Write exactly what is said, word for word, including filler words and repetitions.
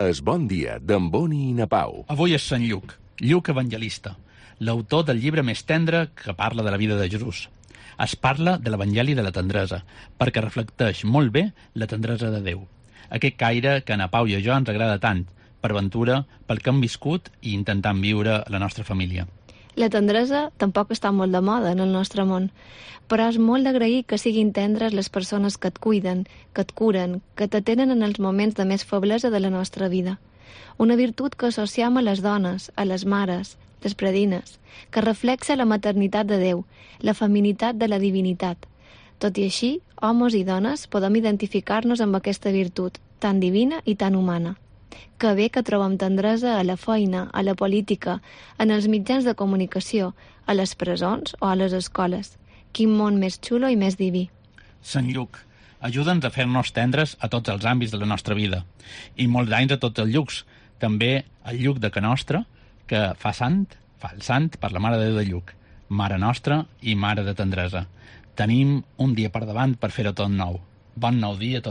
Es Bon Dia, d'en Boni i na Pau. Avui és Sant Lluc, Lluc Evangelista, l'autor del llibre més tendre que parla de la vida de Jesús. Es parla de l'Evangeli de la tendresa, perquè reflecteix molt bé la tendresa de Déu. Aquest caire que a na Pau i a jo ens agrada tant, per ventura, pel que hem viscut i intentant viure la nostra família. La tendresa tampoc està molt de moda en el nostre món, però és molt d'agrair que siguin tendres les persones que et cuiden, que et curen, que t'atenen en els moments de més feblesa de la nostra vida. Una virtut que associem a les dones, a les mares, les predines, que reflexa la maternitat de Déu, la feminitat de la divinitat. Tot i així, homes i dones podem identificar-nos amb aquesta virtut, tan divina i tan humana. Que bé que trobem tendresa a la feina, a la política, en els mitjans de comunicació, a les presons o a les escoles. Quin món més xulo i més diví. Sant Lluc, ajuda'ns a fer-nos tendres a tots els àmbits de la nostra vida. I molts anys a tots els llucs. També el Lluc de Ca Nostra, que fa sant, fa el sant per la Mare de Déu de Lluc, Mare Nostra i Mare de Tendresa. Tenim un dia per davant per fer-ho tot nou. Bon nou dia a tothom.